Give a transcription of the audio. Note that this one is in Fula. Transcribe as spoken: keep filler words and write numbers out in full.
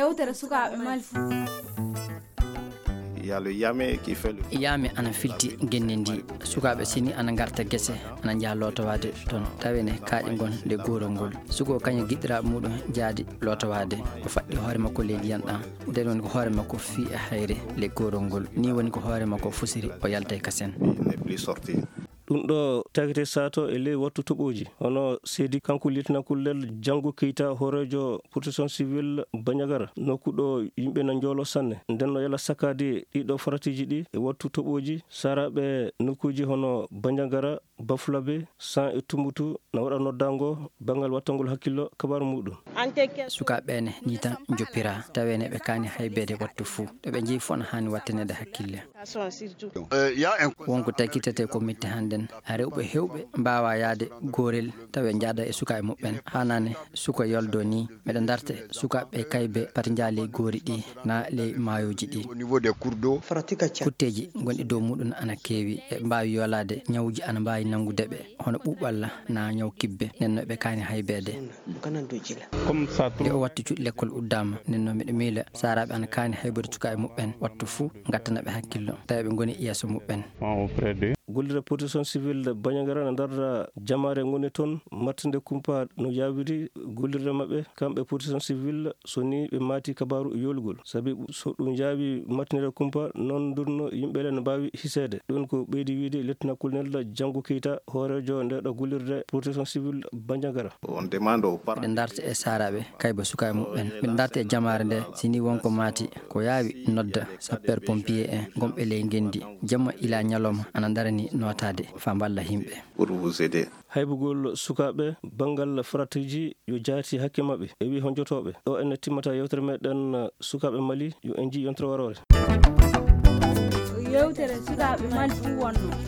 Yewtere sukaaɓe Mali fuu. Yaame ana filti genne ndi. Sukaaɓe sini ana ngarta gese, ana njaha lootowaade toon. Tawi ne kaaƴe ngon le goorol ngol. Suko kañum giɗɗiraaɓe muɗum jaadi lootowaade. O faɗɗi hoore makko ley ndiyan ɗan. Nden woni ko hoore makko fii e hayre le goorol ngol. Ni woni ko hoore makko fusiri, o yaltay kasen. Ɗum ɗo tagete sato e ley wattu toɓooji. Hono seedi kanko lieutenant colonel Jango Keita, hooreejo protection civile Bandiagara, nokku ɗo yimɓe na njoolo sanne. Nden no yala sakkaade ɗiɗo faratiiji ɗi e wattu toɓooji. Saaraaɓe nokkuuji hono Bandiagara, Bafulabe, San e Tumbutu na waɗa noddaango banngal wattangol hakkillo kabaaru muɗum. Sukaaɓe ɓee ne nii tan njoppira, tawee ne ɓe kaani haybeede wattu fuu. Ɗo ɓe njeyi fof na haani watteneede hakkille. Won ko takitetee ko metti hannden. Rewɓe heewɓe mbaawa yahde goorel tawi njaada e sukaaɓe muɓɓen. Haanaani suka yoldo nii. Miɗo ndarta sukaaɓe kaybe pati njaha ley goori ɗi na ley maayooji ɗi. Kutteeji gonɗi dow muɗum ana keewi. Ɓe mbaawi yolaade, ñawuuji ana mbaawi nanngude ɓe, hono ɓuuɓalla na ñaw kibbe. Nden no ɓe kaani haybeede. Nde o wattu cuuɗi lekkol uddaama, nden no miɗo miila saaraaɓe ana kaani haybude sukaaɓe muɓɓen wattu fuu, ngattana ɓe hakkillo, tawi ɓe ngoni yeeso muɓɓen. Gollirde protection civile Bandiagara na ndarda jamaare ngoni toon, mattinde kumpa no yaawiri gollirde maɓɓe, kamɓe protection civile, so ni ɓe maati kabaaru yoolugol. Sabi so ɗum yaawi mattinirde kumpa, noon ndurno yimɓe le no mbaawi hiseede. Ɗum ko ɓeydi wiide lieutenant colonel Jango Keita, hooreejo nde ɗo gollirde protection civile Bandiagara. Miɗo ndarta e saaraaɓe kayba sukaaɓe muɓɓen. Miɗo ndarta e jamaare nde, si ni won ko maati, ko yaawi nodda sapeur pompier en gonɓe ley ngenndi. Jamma ila ñalawma ana ndarani nootaade faa mballa yimɓe. Haybugol sukaaɓe banngal faratiiji yo jaati hakke maɓɓe. E wii honjotooɓe. Ɗo ene timmata yewtere meɗen sukaaɓe Mali, yo en njii yontere waroore. Yewtere sukaaɓe Mali fuu wonno.